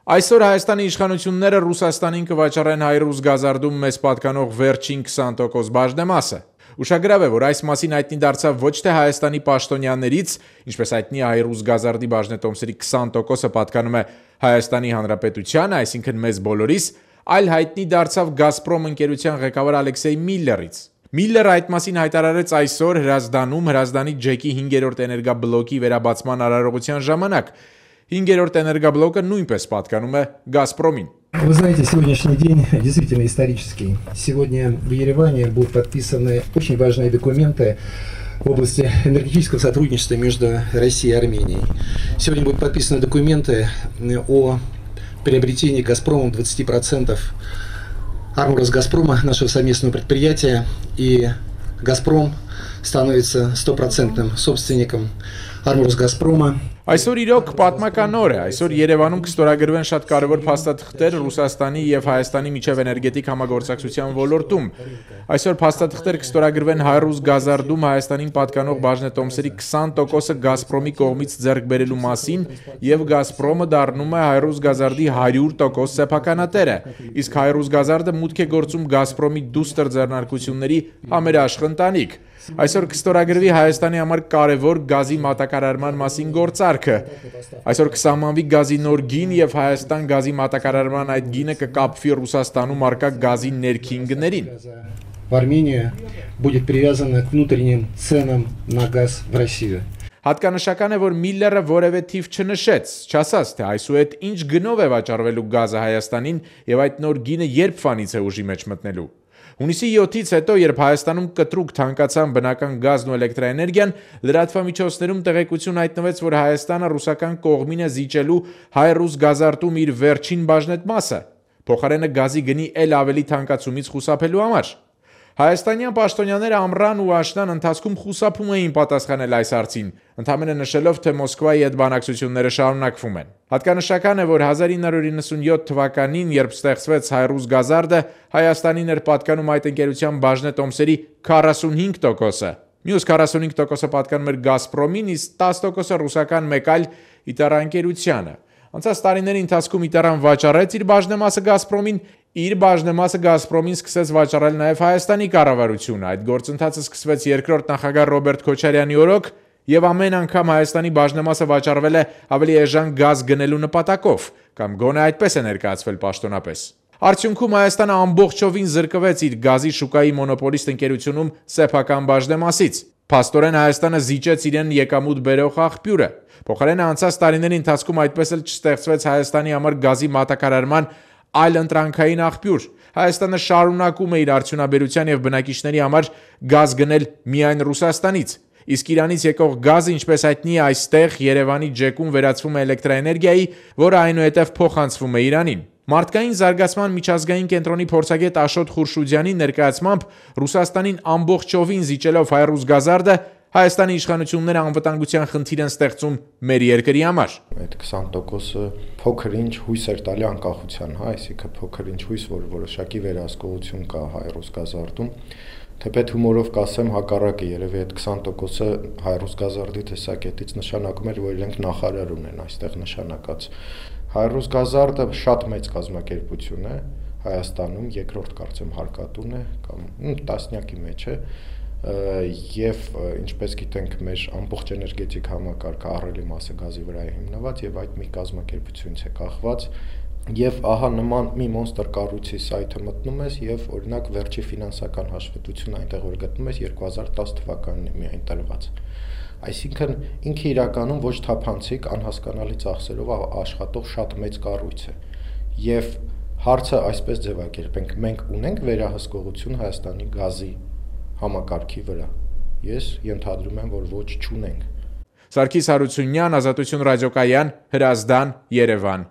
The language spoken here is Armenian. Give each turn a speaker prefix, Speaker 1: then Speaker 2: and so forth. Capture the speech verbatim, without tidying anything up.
Speaker 1: Այսօր Հայաստանի իշխանությունները Ռուսաստանին կվաճառեն հայ-ռուս գազարդում մեզ պատկանող վերջին քսան տոկոս բաժնեմասը։ Ուշագրավ է, որ այս մասին հայտնի դարձավ ոչ թե Հայաստանի պաշտոնյաներից, ինչպես հայտնի հայ-ռուս գազարդի բաժնետոմսերի քսան տոկոսը պատկանում է Հայաստանի Հանրապետությանը, այսինքն մեզ բոլորիս, այլ հայտնի դարձավ Գազպրոմ ընկերության ղեկավար Ալեքսեյ Միլլերից։ Միլլերը այդ մասին հայտարարեց այսօր Հրազդանում Հրազդանի ջեկի հինգերորդ էներգաբլոկի վերաբացման արարողության ժամանակ։ Հինգերորդ էներգաբլոկը նույնպես պատկանում է Գազպրոմին։
Speaker 2: Вы знаете, сегодняшний день действительно исторический. Сегодня в Ереване будут подписаны очень важные документы в области энергетического сотрудничества между Россией и Арменией. Сегодня будут подписаны документы о приобретении Газпромом двадцати процентов Армросгазпрома, нашего совместного предприятия, и Газпром становится стопроцентным собственником Армросгазпрома.
Speaker 1: Այսօր իրոք պատմական օր է, այսօր Երևանում կստորագրվեն շատ կարևոր փաստաթղթեր Ռուսաստանի եւ Հայաստանի միջև էներգետիկ համագործակցության ոլորտում։ Այսօր փաստաթղթեր կստորագրվեն հայ-ռուս գազարդում Հայաստանին պատկանող բաժնետոմսերի քսան տոկոսը Գազպրոմի կողմից ձեռք բերելու մասին եւ Գազպրոմը դառնում է հայ-ռուս գազարդի հարյուր տոկոս սեփականատերը, իսկ հայ-ռուս գազարդը մուտք է գործում Գազպրոմի դուստր ձեռնարկությունների համերաշխ ընտանիք։ Այսօր կստորագրվի Հայաստանի համար կարևոր գազի մատակարարման մասին գործարքը։ Այսօր կսահմանվի գազի նոր գին եւ Հայաստան գազի մատակարարման այդ գինը կկապվի Ռուսաստանում արկա գազի ներքին գներին։
Speaker 2: В Армении будет привязано к внутренним ценам на газ в Россию.
Speaker 1: Հատկանշական է, որ Միլլերը որևէ թիվ չնշեց, չասաց, թե այսուհետ ինչ գնով է վաճառվելու գազը Հայաստանին եւ այդ նոր գինը երբ ֆանից է ուժի մեջ մտնելու։ Հունիսի յոթից հետո, երբ Հայաստանում կտրուկ թանկացան բնական գազն ու էլեկտրաէներգիան, լրատվամիջոցներում տեղեկություն հայտնվեց, որ Հայաստանը ռուսական կողմին է զիջելու հայ-ռուս գազարդում իր վերջին բաժնետմասը, փոխարենը գազի գնի էլ ավելի թանկացումից խուսափելու համար։ Հայաստանյան պաշտոնյաները ամռան ու աշնան ընթացքում խուսափում էին պատասխանել այս հարցին, ընդհանրապես նշելով, թե Մոսկվայի հետ բանակցությունները շարունակվում են։ Հատկանշական է, որ հազար ինը հարյուր իննսունյոթ թվականին, երբ ստեղծվեց հայ-ռուս գազարդը, Հայաստանին էր պատկանում այդ ընկերության բաժնետոմսերի քառասունհինգ տոկոսը։ Մյուս քառասունհինգ տոկոսը պատկանում էր Գազպրոմին, իսկ տասը տոկոսը ռուսական մեկ այլ իտարաընկերությանը։ Անցած տարիների ընթացքում Իտարան վաճառեց իր բաժնեմասը Գազպրոմին, իր բաժնեմասը Գազպրոմին սկսեց վաճառել նաև Հայաստանի կառավարությունը։ Այդ գործընթացը սկսվեց երկրորդ նախագահ Ռոբերտ Քոչարյանի օրոք, եւ ամեն անգամ Հայաստանի բաժնեմասը վաճառվել է ավելի էժան գազ գնելու նպատակով, կամ գոնե այդպես է ներկայացվել պաշտոնապես։ Արդյունքում Հայաստանը ամբողջովին զրկվեց իր գազի շուկայի մոնոպոլիստ ընկերությունում սեփական բաժնեմասից։ Փաստորեն Հայաստանը զիջեց իրեն եկամուտ բերող աղբյուրը։ Փոխարենը անցած տարիների ընթացքում այդպես էլ չստեղծվեց Հայաստանի համար գազի մատակարարման այլ ընտրանքային աղբյուր։ Հայաստանը շարունակում է իր արդյունաբերության եւ բնակիչների համար գազ գնել միայն Ռուսաստանից։ Իսկ Իրանից եկող գազը, ինչպես հայտնի է, այստեղ Երևանի ջեկում վերածվում է էլեկտրաէներգիայի, որը այնուհետև փոխանցվում է Իրանին։ Մարդկային զարգացման միջազգային կենտրոնի փորձագետ Աշոտ Խուրշուդյանի ներկայացմամբ Ռուսաստանին ամբողջովին զիջելով հայ-ռուս գազարդը Հայաստանի իշխանությունները անվտանգության խնդիր են ստեղծում մեր երկրի համար։
Speaker 3: Այդ քսան տոկոսը փոքր-ինչ հույս էր տալի անկախության, հա, այսինքն փոքր-ինչ հույս, որ որոշակի վերահսկողություն կա հայ-ռուս գազարդում։ Թեպետ հումորով կասեմ, հակառակը, երևի այդ քսան տոկոսը հայ-ռուս գազարդի տեսակետից նշանակում էր, որ իրենք նախարար ունեն այստեղ նշանակած։ Հայ-ռուս գազարդը շատ մեծ կազմակերպություն է Հայաստանում, երկրորդ կարծեմ հարկատուն է կամ տասնյակի մեջ է, եւ ինչպես գիտենք, մեր ամբողջ էներգետիկ համակարգը ահռելի մասը գազի վրա է հիմնված եւ այդ մի կազմակերպությունից է կախված, եւ ահա նման մի մոնստր կառույցի սայթը մտնում ես եւ օրինակ վերջի ֆինանսական հաշվետվությունը այնտեղ որ գտնում ես երկու հազար տասը թվականին է միայն տրված։ Այսինքն ինքը իրականում ոչ թափանցիկ, անհասկանալի ծախսերով աշխատող շատ մեծ կառույց է։ Եվ հարցը այսպես ձևակերպենք, մենք ունենք վերահսկողություն Հայաստանի գազի համակարգի վրա։ Ես ենթադրում եմ, որ ոչ չունենք։
Speaker 1: Սարգիս Հարությունյան, Ազատություն ռադիոկայան, Հրազդան, Երևան։